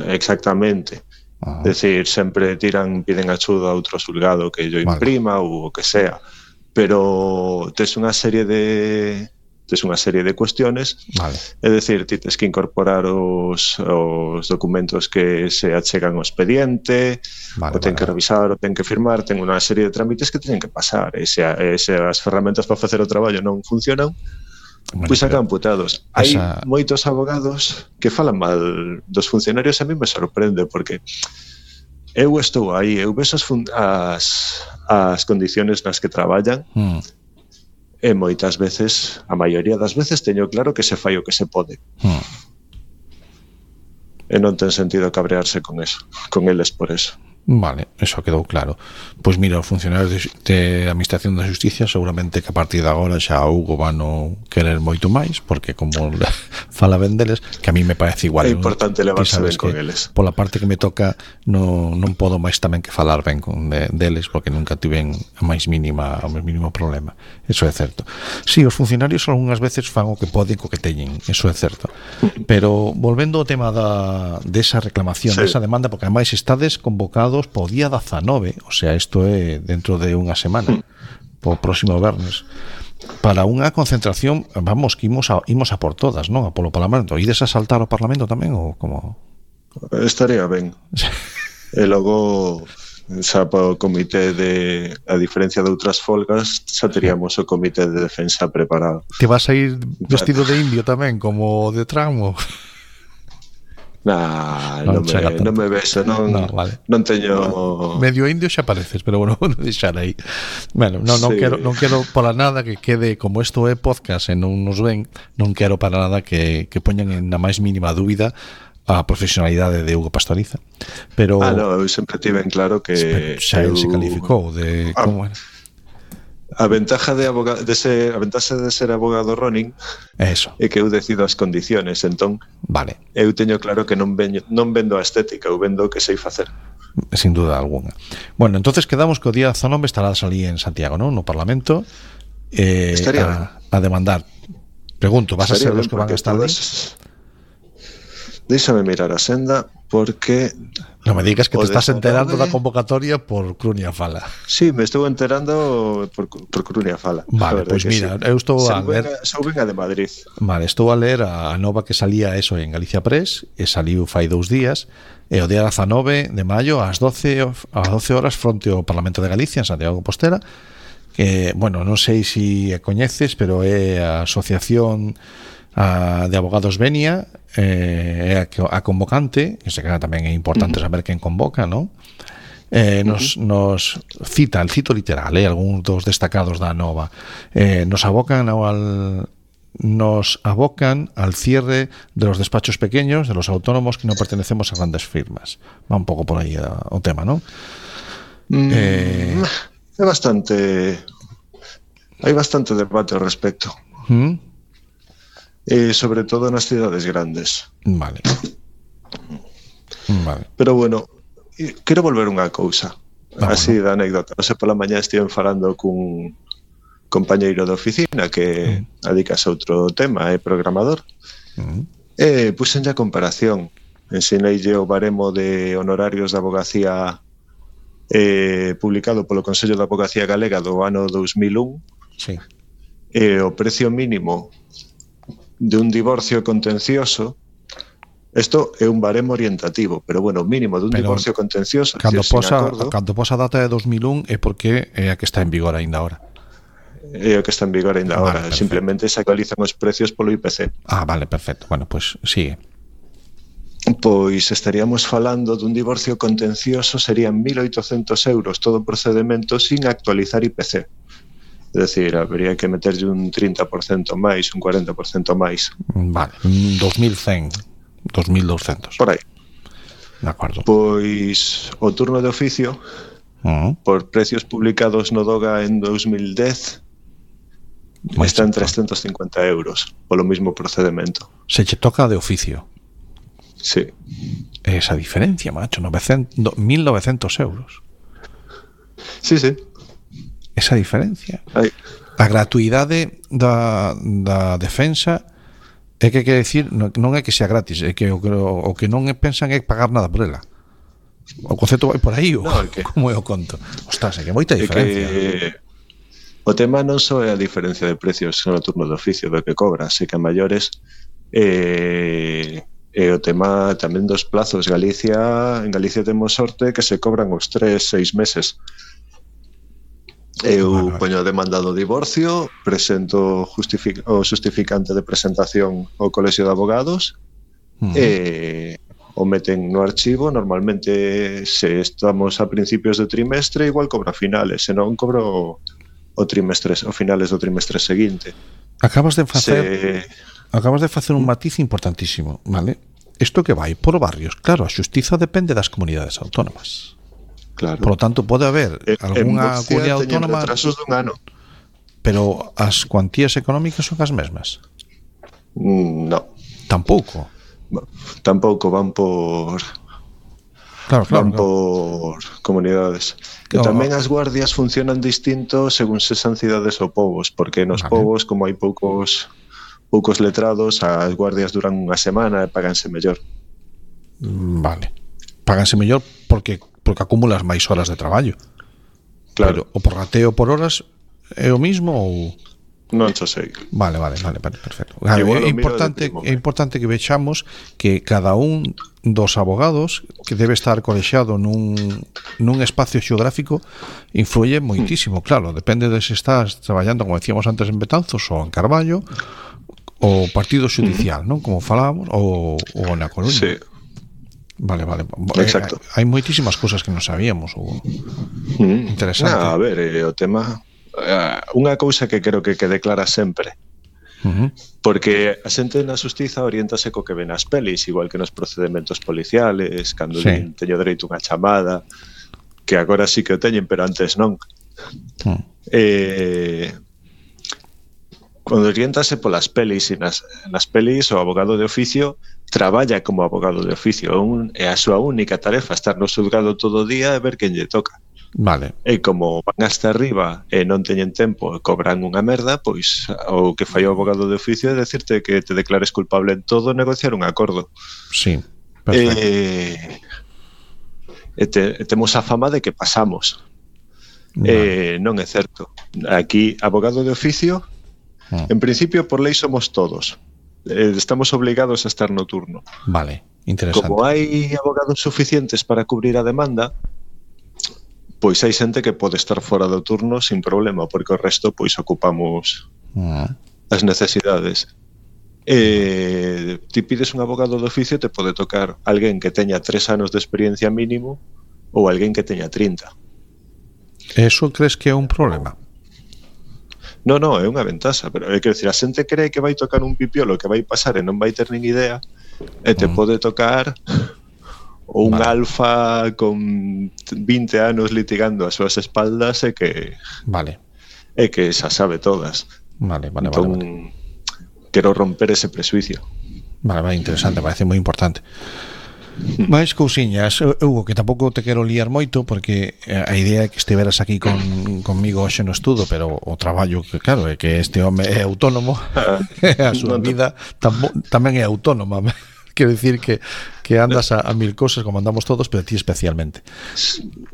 exactamente. É dicir, sempre piden axuda a outro xulgado que yo imprima ou o que sea, pero tes unha serie de cuestiones, é dicir, ti tes que incorporar os documentos que se achegan ao expediente, o ten que revisar, o ten que firmar, ten unha serie de trámites que teñen que pasar, e se as ferramentas para facer o traballo non funcionan, pois sacan putados. Hai moitos abogados que falan mal dos funcionarios, a mí me sorprende, porque eu estou aí, eu vexo as condiciones nas que traballan, e moitas veces, a maioría das veces, teño claro que se fai o que se pode. E non ten sentido cabrearse con eles por eso. Vale, eso quedou claro. Pois mira, os funcionarios de Administración da Xusticia seguramente que a partir de agora xa Hugo van no querer moito máis, porque como fala ben deles, que a mí me parece igual. É importante levarse ben con eles. Pola parte que me toca non podo máis tamén que falar ben deles, porque nunca tiven o máis mínimo problema. Eso é certo. Si, os funcionarios algunhas veces fan o que poden co que teñen, eso é certo. Pero volvendo ao tema desa reclamación, desa demanda, porque ademais estades convocados po día 19, o sea, isto é dentro de unha semana, po próximo vernes, para unha concentración, vamos, que imos a por todas, non? A polo Parlamento. Ides a saltar o Parlamento tamén, ou como? Estaría ben. E logo, xa para o comité a diferencia de outras folgas, xa teríamos o comité de defensa preparado. Te vas a ir vestido de indio tamén, como de tramo? Non me beso, non teño... Medio indio xa pareces, pero bueno, vou deixar aí. Bueno, non quero para nada que quede, como isto é podcast e non nos ven, non quero para nada que poñan en a máis mínima dúbida a profesionalidade de Hugo Pastoriza, pero no, eu sempre tiven claro que xa el se calificou de como era. A ventaja de ser abogado Ronin Eso. é que eu decido as condiciones, entón Vale. eu teño claro que non vendo a estética, eu vendo o que sei facer. Sin duda alguna. Bueno, entonces quedamos que o día 19 estarás ali en Santiago, ¿no? No Parlamento a demandar. Pregunto, vas Estaría a ser los que van a estar ali? Déixame mirar a senda porque No me digas que te estás 19 enterando da convocatoria por Crunia Fala. Sí, me estou enterando por Crunia Fala. Vale, pois mira, eu estou a ler Venga de Madrid. Vale, estou a ler a nova que salía eso en Galicia Press, e saliu fai 2 días, e o día 19 de maio ás 12 horas fronte ao Parlamento de Galicia en Santiago de Compostela, que, bueno, non sei se coñeces, pero é a Asociación de Abogados Venia, é a convocante, que se queda tamén é importante saber quen convoca, non? Nos cita, el cito literal, algúns dos destacados da nova, nos abocan al cierre de los despachos pequeños, de los autónomos que no pertenecemos a grandes firmas. Va un pouco por aí o tema, ¿no? É bastante... Hai bastante debate ao respecto. Sobre todo nas cidades grandes. Vale. Pero bueno, quero volver unha cousa. Así da anécdota. Hoxe pola mañá estiven falando cun compañeiro de oficina que adicase a outro tema, é programador. Puxenlle a comparación. Ensineille o baremo de honorarios da abogacía publicado polo Consello de Abogacía Galega do ano 2001. Sí. O precio mínimo de un divorcio contencioso, isto é un baremo orientativo, pero bueno, mínimo de un divorcio contencioso, cando posa a data de 2001 é porque é a que está en vigor aínda ahora. É o que está en vigor aínda ahora, simplemente se actualizan os precios polo IPC. Vale, perfecto. Bueno, pues sigue. Pois estaríamos falando dun divorcio contencioso, serían 1.800 euros todo o procedemento sin actualizar IPC. É dicir, habría que meterlle un 30% máis, un 40% máis. Vale, 2.100, 2.200. Por aí. De acordo. Pois o turno de oficio, por precios publicados no DOGA en 2010, está en 350 euros polo mismo procedemento. Se che toca de oficio. Sí. Esa diferencia, macho, 1.900 euros. Sí, sí. Esa diferencia. A gratuidade da defensa é que quere decir non é que sea gratis, é que o que non pensan é pagar nada por ela. O concepto vai por aí, como é o conto? Ostras, é que moita diferencia. O tema non só é a diferencia de precios no turno de oficio do que cobras, é que a maiores e o tema tamén dos plazos. En Galicia temos sorte que se cobran os 3-6 meses. Eu poño a demanda do divorcio, presento o justificante de presentación ao Colexio de Abogados e o meten no archivo. Normalmente, se estamos a principios de trimestre, igual cobro a finales, se non cobro o finales do trimestre seguinte. Acabas de facer un matiz importantísimo, vale? Isto que vai por barrios. Claro, a xustiza depende das comunidades autónomas. Claro. Por lo tanto, pode haber algunha comunidade autónoma retrasos dun ano. Pero as cuantías económicas son as mesmas? No. Tampouco van por por comunidades. Que tamén as guardias funcionan distinto según se san cidades ou povos, porque nos povos, como hai poucos letrados, as guardias duran unha semana e páganse mellor. Vale. Páganse mellor porque acumulas máis horas de traballo. Claro. Pero o porrateo por horas é o mismo ou... Non xo sei. Vale, perfecto. Claro, é importante que vexamos que cada un dos abogados que debe estar colexiado nun espacio xeográfico influye moitísimo. Claro, depende de se estás traballando, como decíamos antes, en Betanzos ou en Carballo, o partido judicial, non? Como falábamos, ou na Coruña. Sí. Vale. Exacto. Hai moitísimas cousas que non sabíamos. Interesante. A ver, o tema... Unha cousa que creo que quede clara sempre Porque a xente na xustiza oriéntase co que ven nas pelis, igual que nos procedimentos policiales, cando teño dereito unha chamada, que agora sí que o teñen, pero antes non. Cando oriéntase polas pelis, e nas pelis o abogado de oficio traballa como abogado de oficio, e a súa única tarefa estar no xulgado todo o día e ver quen lle toca. Vale. E como van hasta arriba e non teñen tempo e cobran unha merda, pois o que fai o abogado de oficio é decirte que te declares culpable en todo e negociar un acordo. Sí, perfecto. Temos a fama de que pasamos. Non é certo. Aquí, abogado de oficio, en principio, por lei somos todos. Estamos obligados a estar no turno. Vale, interesante. Como hai abogados suficientes para cubrir a demanda, pois hai xente que pode estar fora do turno sin problema, porque o resto pois ocupamos as necesidades. Ti pides un abogado de oficio, te pode tocar alguén que teña 3 anos de experiencia mínimo ou alguén que teña 30. Eso crees que é un problema? Non, é unha ventaxa, pero é que decir, a xente cree que vai tocar un pipiolo que vai pasar e non vai ter nin idea, e te pode tocar un alfa con 20 anos litigando as súas espaldas e que xa sabe todas. Vale. Quero romper ese presuicio. Vale, interesante, parece moi importante. Mais cousiñas, Hugo, que tampouco te quero liar moito, porque a idea é que estiveras aquí conmigo hoxe no estudo, pero o traballo, que claro, é que este home é autónomo, a súa vida tamén é autónoma. Quero dicir que andas a mil cosas como andamos todos, pero ti especialmente.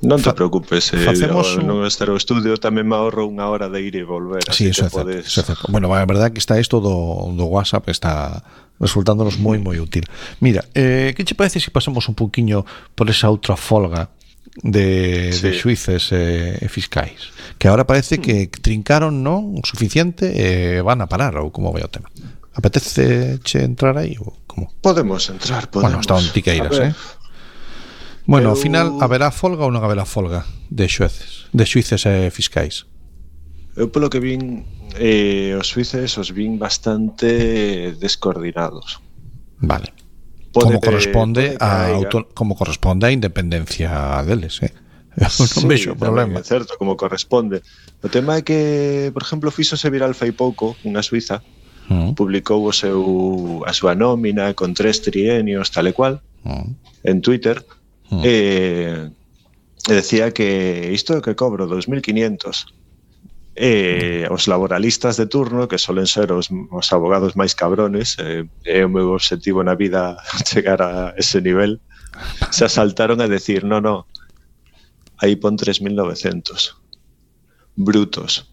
Non te preocupes, non estar ao estudio tamén me ahorro unha hora de ir e volver. Sí, eso é certo. Bueno, a verdade é que está isto do WhatsApp, está resultándonos moi útil. Mira, que che parece se pasamos un pouquiño por esa outra folga de xuíces e fiscais, que agora parece que trincaron non o suficiente e van a parar, ou como vai o tema? Apetece che entrar aí ou como? Podemos entrar, Bueno, está un tiqueiras, Bueno, ao final, haberá folga ou non haberá folga de xuíces e fiscais? Eu polo que vin, os xuíces os vin bastante descoordinados. Vale. Como corresponde a independencia deles, non vexo problema. É certo, como corresponde. O tema é que, por exemplo, fíxose viral fai pouco unha suiza, publicou a súa nómina con 3 trienios, tal e cual, en Twitter, e decía que isto é que cobro 2.500. Os laboralistas de turno, que solen ser os abogados máis cabrones, é o meu objetivo na vida chegar a ese nivel, se asaltaron a decir no, aí pon 3.900 brutos.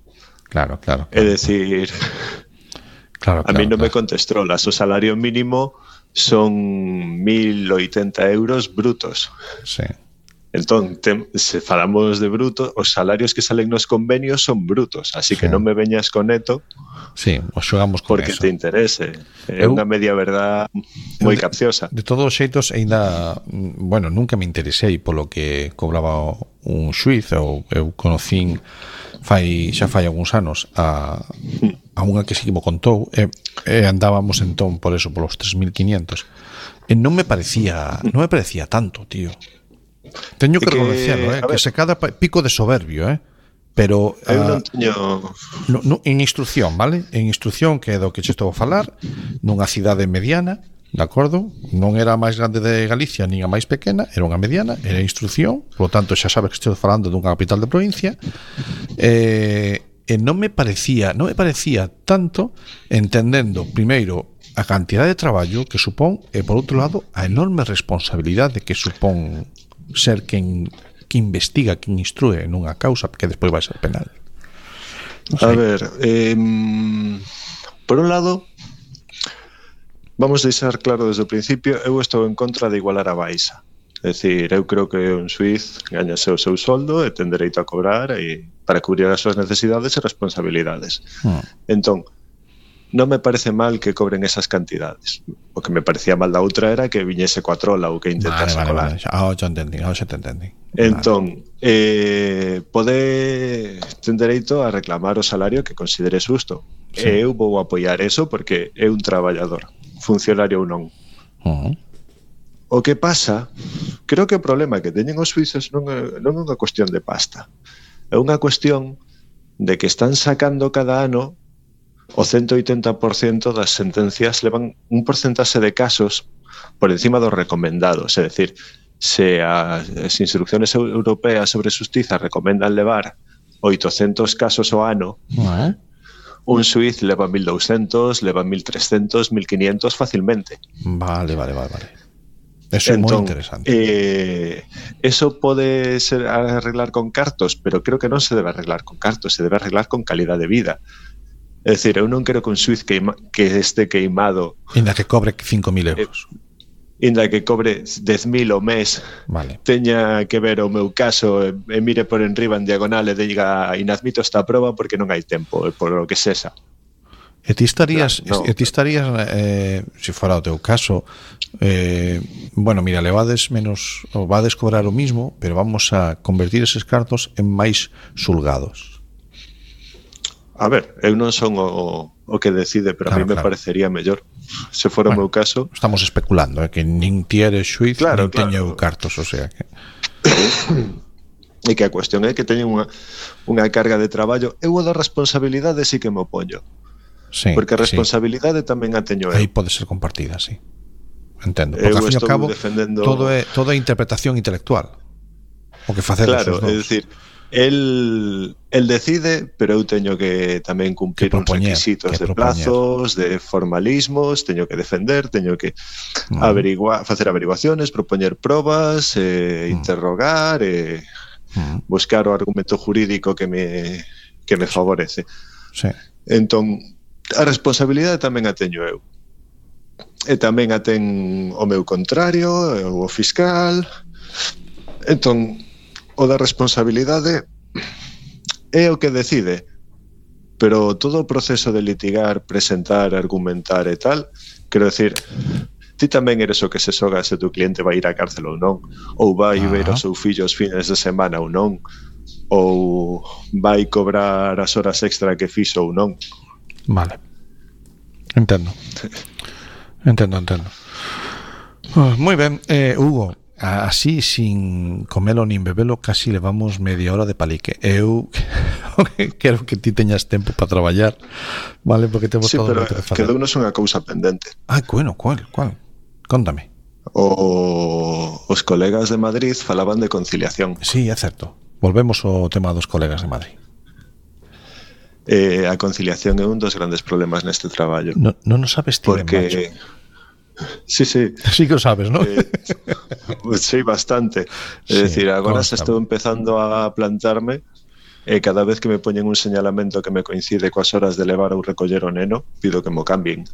Claro. É decir, a mí non me contestrolas, o salario mínimo son 1.080 euros brutos. Sí. Entón, se falamos de bruto, os salarios que salen nos convenios son brutos, así que non me veñas con neto. Sí, os xogamos con porque eso. Te interese. É unha media verdad moi capciosa. De todos os xeitos, ainda, bueno, nunca me interesei polo que cobraba un xuiz, ou eu conocín xa fai algúns anos a unha que sí que me contou, e andábamos entón por eso, polos 3.500. E non me parecía tanto, tío. Teño que reconocerlo, que se cada pico de soberbio, pero eu non teño en instrucción, vale? En instrucción, que é do que che estou a falar, nunha cidade mediana, de acordo? Non era a máis grande de Galicia nin a máis pequena, era unha mediana, era instrucción, por lo tanto xa sabes que estou falando dunha capital de provincia, e non me parecía tanto, entendendo primeiro a cantidad de traballo que supón, e por outro lado a enorme responsabilidade que supón ser quen que investiga, quen instrue nunha causa que despois vai ser penal. A ver, por un lado, vamos a deixar claro desde o principio, eu estou en contra de igualar a baixa. É dicir, eu creo que un suiz gañase o seu soldo e ten dereito a cobrar para cubrir as súas necesidades e responsabilidades. Entón, non me parece mal que cobren esas cantidades. O que me parecía mal da outra era que viñese coa trola ou que intentase colar. Xa te entendí. Entón, ten dereito a reclamar o salario que considere xusto. e eu vou apoiar eso porque é un traballador, funcionario ou non. O que pasa, creo que o problema que teñen os suizos non é unha cuestión de pasta, é unha cuestión de que están sacando cada ano o 180% das sentencias, levan un porcentaxe de casos por encima dos recomendados, é dicir, se as instrucciones europeas sobre xustiza recomendan levar 800 casos ao ano, un suiz leva 1200, leva 1300, 1500 facilmente. Vale. Eso é moi interesante. Eso pode ser arreglar con cartos, pero creo que non se debe arreglar con cartos, se debe arreglar con calidad de vida. É dicir, eu non quero que un suiz que este queimado, inda que cobre 5.000 euros, inda que cobre 10.000 ao mes, teña que ver o meu caso e mire por enriba en diagonal e diga inadmito esta proba porque non hai tempo, por lo que sexa. E ti estarías, se fora o teu caso, bueno, mira, levades menos, ou vades cobrar o mismo, pero vamos a convertir eses cartos en máis xulgados. A ver, eu non son o que decide, pero a mí me parecería mellor se fora o meu caso. Estamos especulando, que nin ti eres xuiz, nin teño cartos, o sea que... E que a cuestión é que teñen unha carga de traballo. Eu o da responsabilidade sí que me opoño. Sí, porque a responsabilidade tamén a teño eu. Aí pode ser compartida, sí. Entendo. Porque, ao fin e ao cabo, todo é interpretación intelectual. O que facemos os dous. Claro, é dicir, el decide, pero eu teño que tamén cumplir uns requisitos de plazos, de formalismos, teño que defender, teño que facer averiguaciones, propoñer probas, interrogar, buscar o argumento jurídico que me favorece. Sí. Entón, a responsabilidade tamén a teño eu. E tamén a ten o meu contrario, o fiscal. Entón, o da responsabilidade é o que decide, pero todo o proceso de litigar, presentar, argumentar e tal, quero decir, ti tamén eres o que se xoga se tu cliente vai ir á cárcel ou non, ou vai ver os seus fillos fines de semana ou non, ou vai cobrar as horas extra que fixo ou non. Vale, entendo. Moi ben, Hugo, así, sin comelo nin bebelo, casi levamos media hora de palique. Eu quero que ti teñas tempo para traballar, vale, porque temos todo o que facer. Quedounos unha cousa pendente. Bueno, cual? Contame. Os colegas de Madrid falaban de conciliación. Sí, é certo. Volvemos ao tema dos colegas de Madrid. A conciliación é un dos grandes problemas neste traballo. Non o sabes ti, porque... Sí. Sí que o sabes, ¿no? Sí, bastante. É dicir, agora se estou empezando a plantarme e cada vez que me poñen un señalamento que me coincide coas horas de levar ou recoller o neno, pido que mo cambien.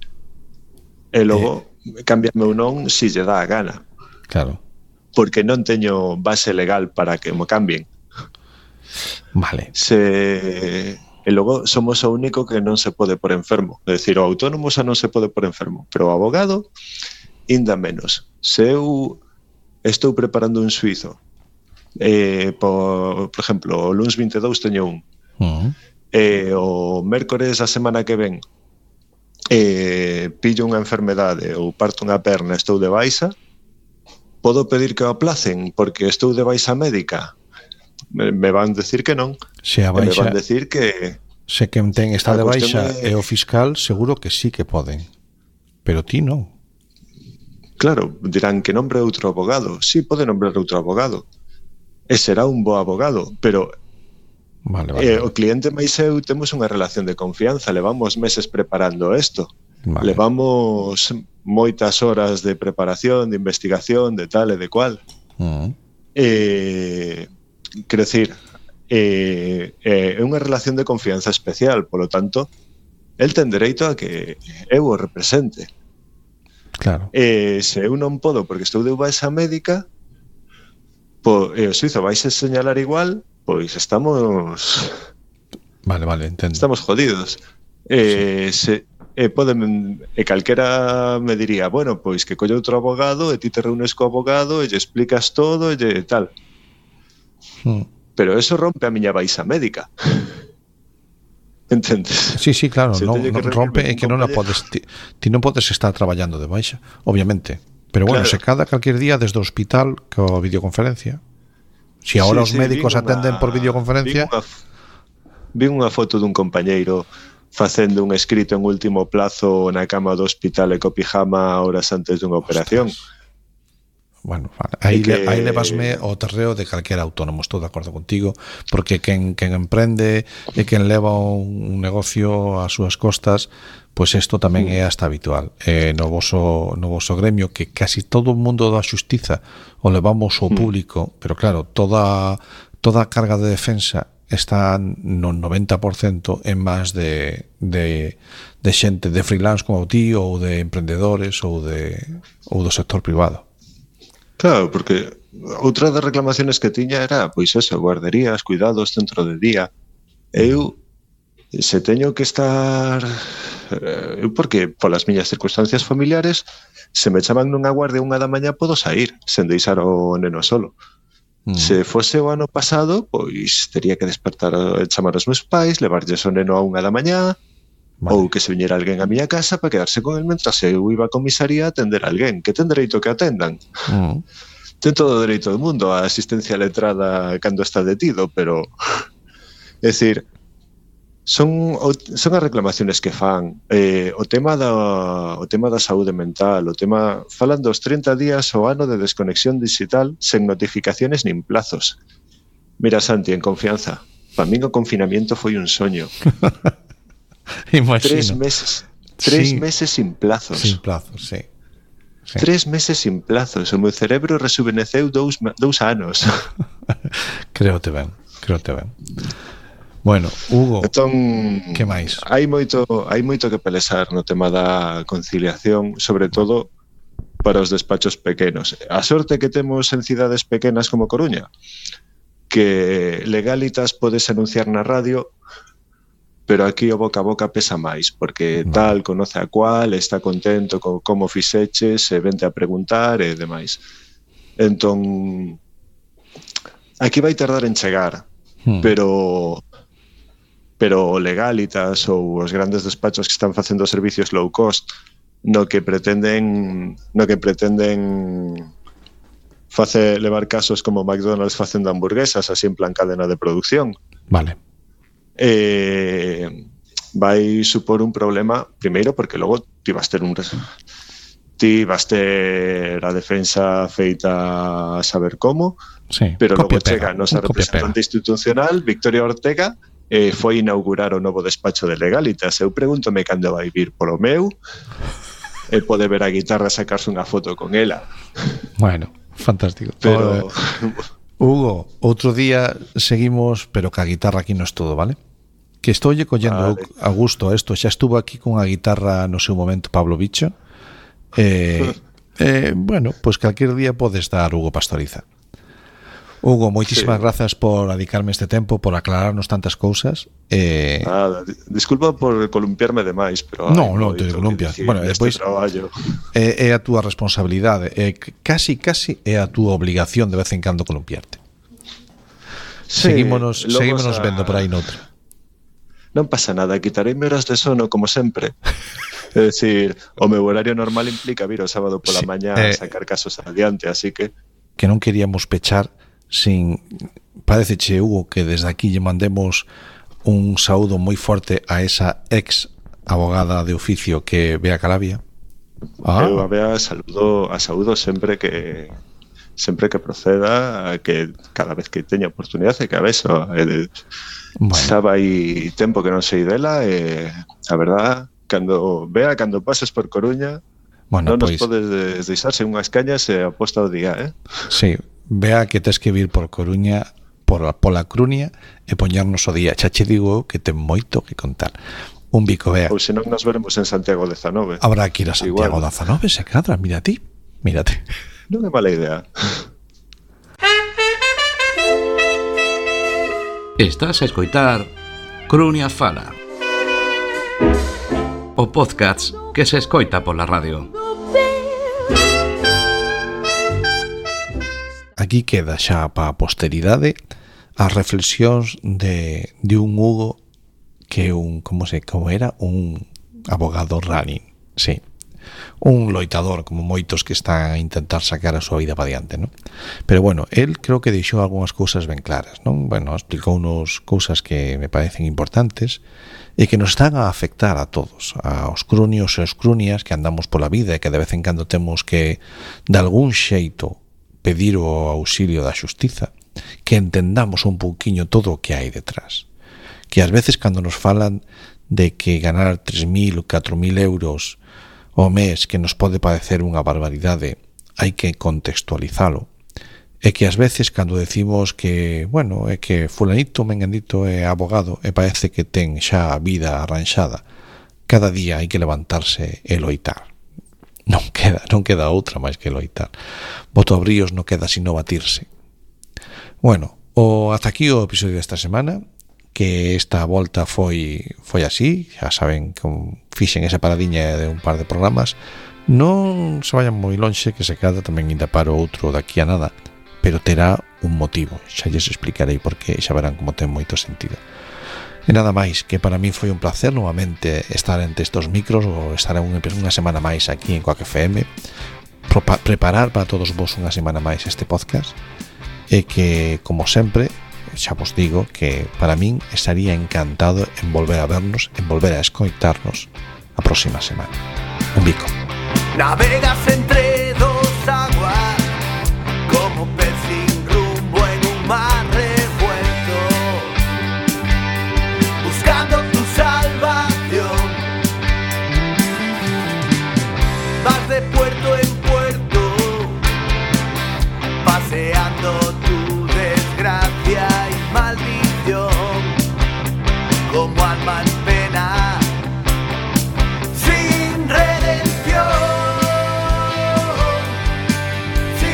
E logo, cámbiame ou non si lle dá a gana. Claro. Porque non teño base legal para que mo cambien. Vale. E logo somos o único que non se pode por enfermo. É dicir, o autónomo xa non se pode por enfermo, pero o abogado, inda menos. Se eu estou preparando un suizo, por exemplo, o luns 22 teño un, o mércores a semana que ven pillo unha enfermedade ou parto unha perna, estou de baixa, podo pedir que o aplacen porque estou de baixa médica? Me van decir que non. Se a baixa, me van decir que se quen ten está de baixa e o fiscal seguro que sí que poden, pero ti non. Claro, dirán que nombre outro abogado. Sí, pode nombrar outro abogado e será un bo abogado, pero vale. O cliente máis eu temos unha relación de confianza, levamos meses preparando isto, levamos moitas horas de preparación, de investigación, de tal e de cual. Quero dicir, é unha relación de confianza especial, polo tanto, el ten dereito a que eu o represente. Claro. Se eu non podo porque estou de baixa médica, o suizo vais a señalar igual, pois estamos... Vale, entendo. Estamos jodidos. Calquera me diría, bueno, pois que colle outro abogado e ti te reúnes co abogado e lle explicas todo e tal. Pero eso rompe a miña baixa médica. Entendes? Sí, claro, Se non teño que rompe reunir e que non a podes ti non podes estar traballando de baixa, obviamente. Pero bueno, Claro. se cada calquer día desde o hospital coa videoconferencia. Si agora os médicos atenden por videoconferencia, vi unha foto dun compañeiro facendo un escrito en último plazo na cama do hospital e co pijama horas antes dunha operación. bueno, aí que- levasme ao terreo de calquera autónomo, estou de acordo contigo, porque quen emprende e quen leva un negocio ás súas costas, pois isto tamén é hasta habitual. No voso gremio, que casi todo o mundo da xustiza o levamos ao público, pero claro, toda a carga de defensa está no 90% en más de xente de freelance como ti, ou de emprendedores, ou do sector privado. Claro, porque outra das reclamaciones que tiña era, pois eso, guarderías, cuidados dentro de día. Eu, se teño que estar... Eu, porque polas miñas circunstancias familiares, se me chaman nunha guardia 1 da mañá, podo sair, sen deixar o neno solo. Se fose o ano pasado, pois tería que despertar e chamar aos meus pais, levarlles o neno a 1 da mañá, ou que se viñera alguén a miña casa para quedarse con el mentras eu iba a comisaría a atender a alguén, que ten dereito que atendan. Ten todo o dereito do mundo a asistencia letrada cando está detido, pero é dicir, son as reclamaciones que fan, o tema da saúde mental, o tema falan dos 30 días o ano de desconexión digital sen notificaciones nin plazos. Mira, Santi, en confianza, para min o confinamiento foi un soño. Imagino. 3 meses. 3 Sí. meses sin plazos. Sin plazos, sí. 3 meses sin plazos. O meu cerebro rejuveneceu 2 anos. Créote ben. Bueno, Hugo, Entón, que máis? hai moito que pelexar no tema da conciliación, sobre todo para os despachos pequenos. A sorte que temos en cidades pequenas como Coruña, que Legalitas podes anunciar na radio, pero aquí o boca a boca pesa máis, porque tal conoce a cual, está contento con como fixeches, e vente a preguntar e demais. Entón, aquí vai tardar en chegar, pero Legalitas ou os grandes despachos que están facendo servicios low cost no que pretenden levar casos como McDonald's facendo hamburguesas así en plan cadena de producción. Vale. Vai supor un problema, primeiro porque logo ti vas ter a defensa feita a saber como, Sí, pero logo copia-pega, chega a nosa un copia-pega. representante institucional, Victoria Ortega, foi inaugurar o novo despacho de Legalitas. Eu pregúntome cando vai vir polo meu e pode ver a guitarra sacarse unha foto con ela. Bueno, fantástico. Pero Hugo, outro día seguimos, pero ca guitarra aquí non é todo, vale? Que estoulle collendo Vale. a gusto a isto. Xa estuvo aquí con a guitarra no seu momento Pablo Bicho. Bueno, pois calquer día podes dar Hugo Pastoriza. Hugo, moitísimas grazas por dedicarme este tempo, por aclararnos tantas cousas. Nada, disculpa por columpiarme demais, pero Non te columpias. Bueno, despois é a túa responsabilidade, casi é a túa obligación de vez en cando columpiarte. Seguímonos vendo por aí noutra. Non pasa nada, quitareime horas de sono como sempre. É dicir, o meu horario normal implica vir o sábado pola mañá a sacar casos adiante, así que non queríamos pechar sin... Pareceche, Hugo, que desde aquí lle mandemos un saúdo moi forte a esa ex abogada de oficio que Bea Calavia. Eu a Bea saúdo sempre que proceda, que cada vez que teña oportunidade, que a vez xa vai tempo que non sei dela, e a verdad, cando pases por Coruña, non nos podes deixar sen unhas cañas e aposta o día, Sí, Vea que tes que vir por Coruña, pola Crunia, e poñernos o día. Xa che digo que ten moito que contar. Un bico, Bea. Ou senón nos veremos en Santiago de Zanove. Habrá que ir a Santiago de Zanove, se cadra, mírate. Non é mala idea. Estás a escoitar Crunia Fala, o podcast que se escoita pola radio. Aquí queda xa para a posteridade as reflexións de un Hugo que como era un abogado running, sí, un loitador como moitos que están a intentar sacar a súa vida para diante, non? Pero bueno, él creo que deixou algunhas cousas ben claras, non? Bueno, explicounos cousas que me parecen importantes e que nos están a afectar a todos, aos crunios e aos crunias que andamos pola vida e que de vez en cando temos que de algún xeito pedir o auxilio da xustiza, que entendamos un pouquiño todo o que hai detrás, que ás veces cando nos falan de que ganar 3.000 ou 4.000 euros o mes, que nos pode parecer unha barbaridade, hai que contextualizalo. E que ás veces cando decimos que, bueno, é que fulanito, menganito é abogado e parece que ten xa a vida arranxada, cada día hai que levantarse e loitar. Non queda outra máis que loitar. Botobríos non queda sino batirse. Bueno, ata aquí o episodio desta semana, que esta volta foi así, xa saben que fixen esa paradiña de un par de programas, non se vayan moi lonxe, que se cada tamén ainda paro outro daqui a nada, pero terá un motivo, xa lles explicarei porque xa verán como ten moito sentido. E nada máis, que para mí foi un placer novamente estar entre estos micros, ou estar unha semana máis aquí en Quack FM, preparar para todos vos unha semana máis este podcast, e que, como sempre, xa vos digo que para min estaría encantado en volver a vernos, en volver a escoitarnos a próxima semana. Un bico. Navegas entre